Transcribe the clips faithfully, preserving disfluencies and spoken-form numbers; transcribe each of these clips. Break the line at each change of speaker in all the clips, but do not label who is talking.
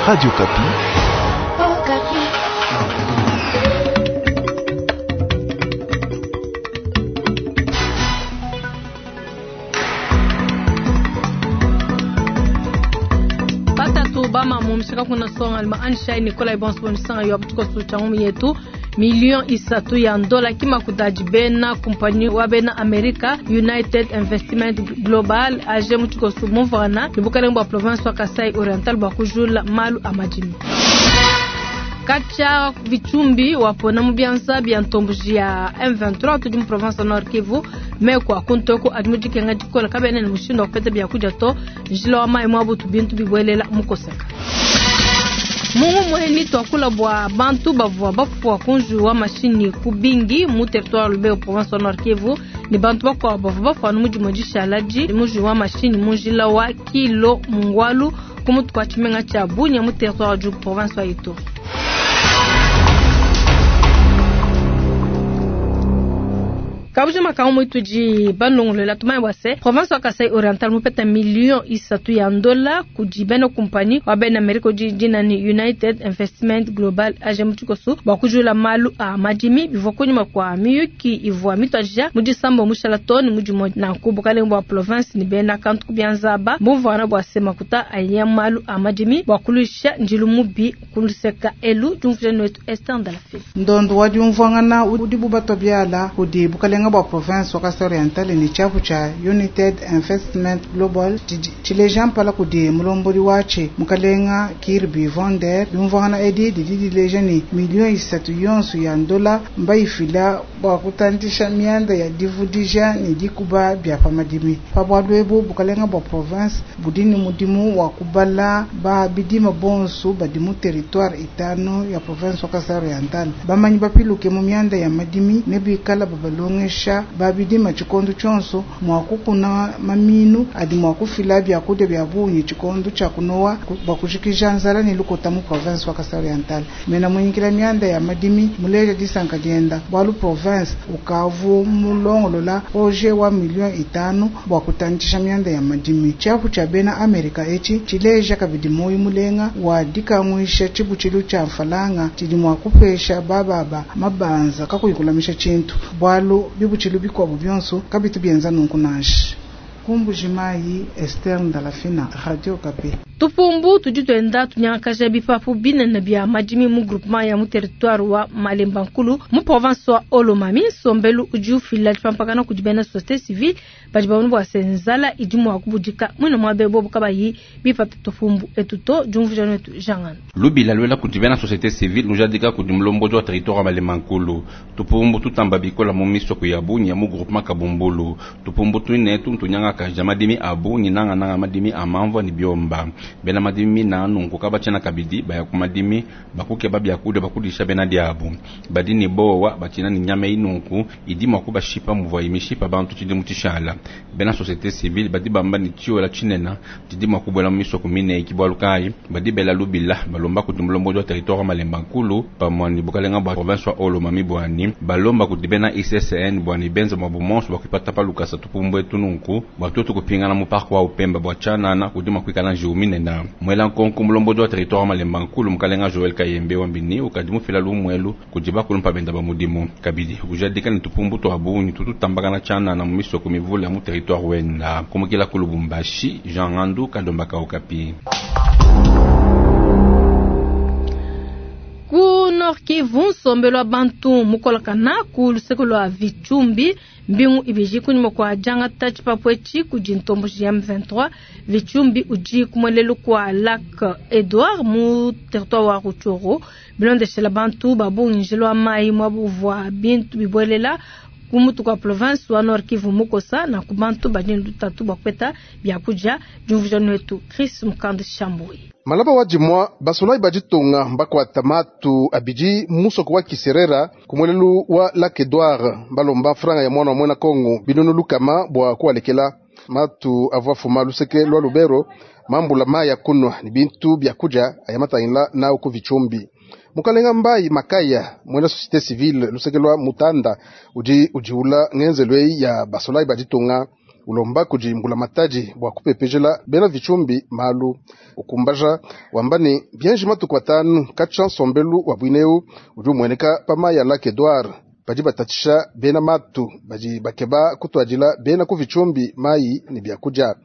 Radio Okapi.
Batatu bama mumshika kuna songa alima anshai Nikolai Bonso msanga yo kutuko changu yetu million isatu ya ndola kima kutaji bena kumpanyi wa bena America United Investment Global aje mutuko mumvana ni bwa province wa Kasai Oriental bwa kujula malu amajimi kacha vichumbi wapona mu bya ntombuji ya M vingt-trois tudi mu province Nord Kivu mekwa kuntoko adi mudikenga dikola kabene ni mushindo kupeta bya kuja to njila wa mai mwabutu bintu bibwelela mukoseka. Mungu mweni twakula bwa bantu bavua bafua kunju wa mashini kubingi mu territoire Lubero province Nord Kivu ni bantu bakwa bavua bafua no mujimo dishalaji muju wa mashini munjila wa kilo mungwalu kumutu kwa chimenga cha Bunia mu territoire du province wa Ituri. Kabuja makambo mwituji banongolela tumai wase province wa Kasai Oriental mupeta million isatu ya ndola kujibena kumpani wa bena Amerika jina ni United Investment Global aje mutikosu bakujula malu a majimi bivwa kunyuma kwa miyuki ivwa mitwaja mudisambo mushala toni mujimo na kubukale bwa province ni bena kantu kubyanzaba muvana bwa semakuta aya malu a majimi bakulusha njilu mubi kuluseka elu jumfuje wetu Esther Ndalafi.
Ndondo wa jumvwangana udibu batobiala kudi bukale bwa province wa Kasai Oriental ni chapu cha United Investment Global chileja mpala kudi mulomboli wache mukalenga Kirby Vonder yumvwana edi didi dileja ni milioni isatu yonso ya ndola mbaifila bwa kutandisha mianda ya divudija ni dikuba bya pamadimi pabwadwebu bukalenga bwa province budini mudimu wa kubala ba bidima bonso badimu territoire itano ya province wa Kasai Oriental bamanyi bapiluke mu mianda ya madimi nebikala babalonge sha babidima chikondo chonso mwakukuna maminu adi mwakufila byakudia bya bunyi chikondo cha kunowa bakushikisha nzala ni lukota mu province wa Kasai Oriental mena mwinyikila mianda ya madimi muleja disanka dienda bwalu province ukavu mulongolola projet wa milioni itano bwa kutandisha mianda ya madimi chapu cha bena Amerika echi chileja kabidi moyo mulenga wa dikamwisha chibuchilu cha mfalanga chidi mwakupesha bababa mabanza kakuyikulamisha chintu bwalu bibuchilu bikwabu byonso kabitu byenza nunkunashi Kumbujimayi Esther Ndalafina, Radio Okapi.
Tupumbu tudi twenda tunyangakaja bipapu binene bya madimi mu groupement ya mu territoire wa Malemba Nkulu mu province wa Olomami nsombelu udi ufila dipampakana kudi bena société civile badi babona bua se nzala idi mua kubudika mwina muabe bobu kabayi bipata tupumbu etuto diumvuja netu jangana
lubila lwela kudi bena société civile nujadika kudi mulomboji wa territoire wa Malemba Nkulu tupumbu tutamba bikola mu misoko ya Bunia mu groupement Kabumbulu tupumbu tuinetu ntunyangakaja madimi abu nyinanga nanga madimi amamvwa ni biomba bena madimi na nunku kabachena kabidi baya kumadimi bakuke babya kude bakudisha bena diabu badini bowa bachina ni nyama inunku idima kubashipa muvwa imishipa bantu chidi mutishala bena société civile badi bamba ni tio la chinena tidima kubwela miso kumine ikibwalukai badi bela lubila balomba kutumulombo wa territoire Malemba Nkulu pamwani bukalenga bwa province wa Olomami bwani balomba kudibena I C C N bwani benzo mabumonso bakipata palukasa tupumbwe tununku bwatoto kupingana mu parc wa Upemba bwa chanana kudima kwikala njiumine na mwela nkonko mulomboji wa territoire Malemba Nkulu mukalenga Joel Kayembe wambini ukadimu fila lumwelu kujiba kulumpa benda ba mudimu kabidi kujadika ni tupumbu twa bunyi tututambakana chanana mu misoko mivula mu territoire wenda kumukila ku Lubumbashi Jean Ngandu Kadomba ka Okapi.
Ku Nord Kivu nsombelo bantu mukolakana ku luseko lwa Vichumbi mbingu ibiji kunyuma kwa janga tachi papwechi kudi ntomboji ya M vingt-trois Vichumbi uji kumwelelu kwa Lac Edouard mu territoire wa Rutshuru bilondeshela bantu babungi mai mwabuvwa bintu bibwelela kumutu kwa province wa Nord Kivu mukosa na kubantu badini lutatu bakweta byakuja jumvuja netu Chris Mukande Shambui.
Malaba wa jimwa basolai bajitonga mbakwata matu abiji musoko wa Kiserera kumwelelu wa Lac Edouard balomba franga ya mwana wa mwena Kongo binunu lukama bwa kualekela matu avwa fuma luseke lwa Lubero mambula maya kunwa ni bintu byakuja ayamatayinla nao ku Vichumbi. Mukalenga mbai makaya mwena société civile luseke lwa Mutanda uji ujiula ngenzelwe ya basolai bajitonga Ulomba kudi mbulamatadi bua kupepejela bena Vitshumbi malu. Ukumbaja wamba ne bienji matuku atanu katshia nsombelu wa bwineu udi umueneka pa mayi a Lac Edouard. Badi batatshisha bena matu badi bakeba kutuadila bena ku Vitshumbi mayi ne biakudia.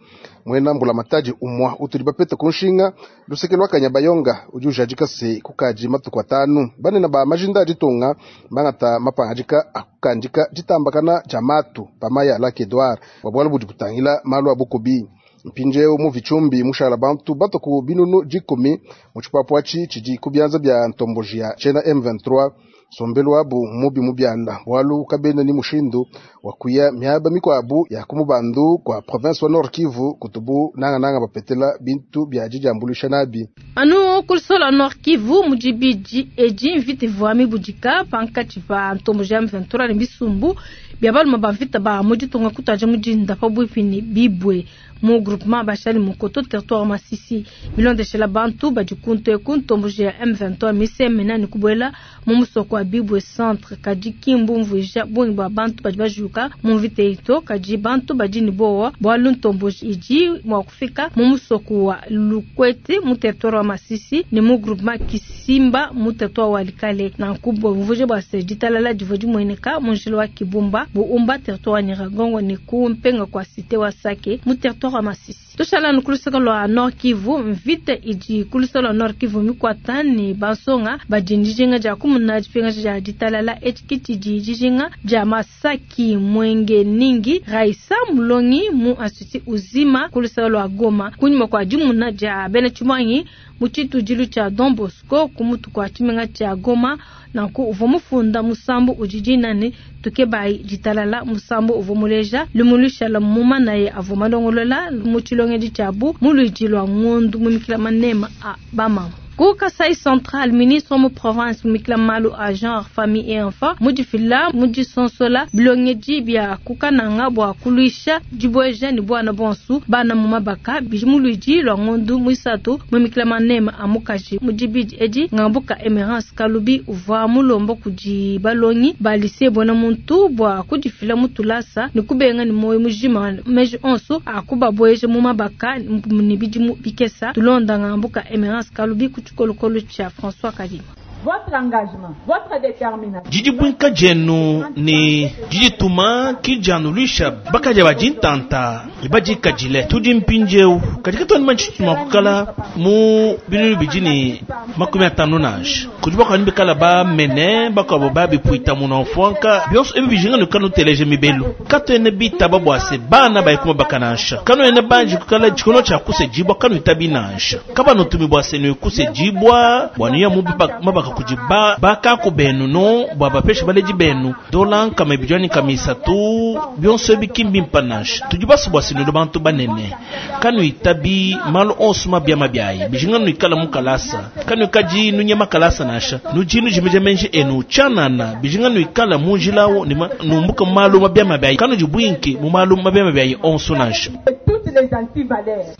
Mwena mbulamatadi umwa utudi bapeta ku nshinga luseke lwa Kanyabayonga udi ujadika se kukaji matuku atanu banene ba majinda a ditunga bangata mapangadika akukandika ditambakana dia matu pa mayi a Lac Edouard bua bualu budi butangila malu a bukubi. Mpindieu mu Vitshumbi mushala bantu batoku binunu dikumi mu tshipapu atshi tshidi ku bianza bia ntomboji ya tshena M vingt-trois. Sombelu wabu mubi mubianda bualu kabena ni mushindu wa kuya miaba mikwabu ya kumubandu kwa province wa Nord Kivu kutubu nanga nanga bapetela bintu bya dijambulisha nabi.
Anu kulisola Nord Kivu mujibiji eji mvita ivua mibudika pankatshi pa ntomboji ya M vingt-trois ne bisumbu bya balume ba mvita ba mu ditunga kutaja mudinda pabuipi ne bibwe mu groupement bashali mukoto territoire Masisi bilondeshela bantu badi kuntu eku ntomboji ya M vingt-trois misemena ne kubuela mu musoko wa Bibwe centre kadi kimbu mvuija bungi bwa bantu badi bajuka mu mvita ito kadi bantu badi ne bowa bualu ntomboji idi mua kufika mu musoko wa Lukwete mu territoire wa Masisi ne mu groupement Kisimba mu territoire wa Likale na nkubo mvuija bwa se ditalala divua dimueneka mu njila wa Kibumba Buumba territoire wa Nyiragongo ne ku mpenga kwa cité wa Sake mu territoire wa Masisi. Tushala nukulusaka lwa Nord Kivu mvita idi kulusaka lwa Nord Kivu mikwata ne bansonga badi ndijinga dia kumuna dipinga dia ditalala etikiti di dijinga dia Masaki Mwenge Ningi Raisa Mulongi mu institut Uzima kulusaka lwa Goma kunyuma kwa dimuna dia bena Tshimwangi mu tshitudilu tshia Don Bosco kumutu kwa tshimenga tshia Goma nanku uvua mufunda musambu udi dinane tukebayi ditalala musambu uvua muleja lumulushala mumanaye avua malongolola mu tshilongedi tshiabu mu luidi lwa ngondu mumikila manema a bamama. Ku Kasai Central, ministre mu province mumikila malu a genre, famille et enfant mudifila mudisonsola bilongedi bia kukananga bua kuluisha dibueja ne bwana bonsu bana mu mabaka bidi mu luidi lwa ngondu muisatu mumikila manema a mukaji mudibidi edi ngambuka Emerance Kalubi uvua mulomba kudi balongi ba lycée bona muntu bua kudifila mutulasa ne kubenga ne moyo mujima meji onso akubabueja mu mabaka ne bidimu bikesa tulonda ngambuka Emerance Kalubi Kolokolo cha François Kadima.
Votre engagement, votre détermination.
Didi bwinka jenu ni didi tuma kijanulisha bakaja bajintanta ibajikajile tudi mpinjeu katika toni manchituma kukala mu binunu bijini makumi atano nansha kudi bakani bikala ba mene bakabo babipuita muna mfwanka bionso ebi bijinga nukanu teleje mibelu kato ene bitaba bwase bana bayikuma bakanansha kano ene banji kukala chikono cha kuse jibwa kanu itabi nansha kaba nutumi bwase nukuse jibwa bwaniya mu mabaka kuji ba bakako benu no bwa bapesha baleji benu dola nkama ibijwani kamisatu bionso ebi kimbi mpanansha tudi basu bwase nulo bantu banene kanu itabi malu onso mabia mabiayi bijinga nuikala mukalasa kanu ikaji nunya makalasa nansha nuji nujimeja menji enu chanana bijinga nuikala munjilawo ni numbuka malu mabia mabiayi kanu jibwinki mu malu mabia mabiayi onso nansha.
Toutes les antivaleurs.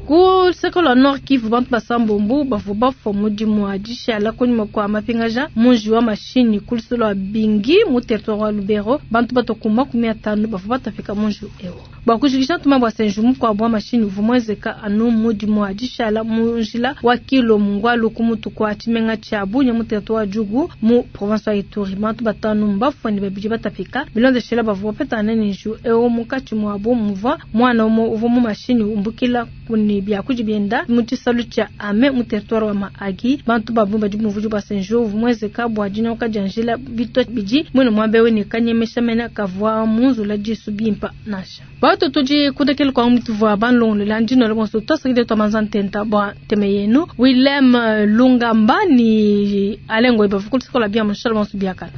Ku luseke lwa Nord Kivu bantu basambombo bavua bafua mudimu wa dishala kunyima kua mapingaja munji wa mashini ku luseke lwa Bingi mu territoire wa Lubero bantu batokuma makumi atanu bavua batapika munji ewu. Bua kujikisha ntuma bua senju mukuabu wa mashini uvua muenzeka anu mudimu wa dishala mu njila wa Kilo Mungwalu ku mutu kua tshimenga tshia Bunia mu territoire wa Djugu mu province wa Ituri bantu batanu mbafua ne babidi batapika bilondeshela bavua bapetana ne nju ewu munkatshi muabu muvua mwana umue uvua mu mashini umbukila kuni bya kujibienda mu tshisalu tshia ame mu territoire wa Mahagi bantu babu badi muvuji bua senju uvua muenzeka bua dinyoka dia njila bito bidi mwene muambe ne kanyemesha mena kavua munzula disu bimpa nansha. Bato tudi kudekele kwa mutuvua banlongolola ndino le bonso tosakide twamanza ntenta bua nteme yenu Willem Lungamba ni alengo ibavukulisikola bia mushala bonso biakana.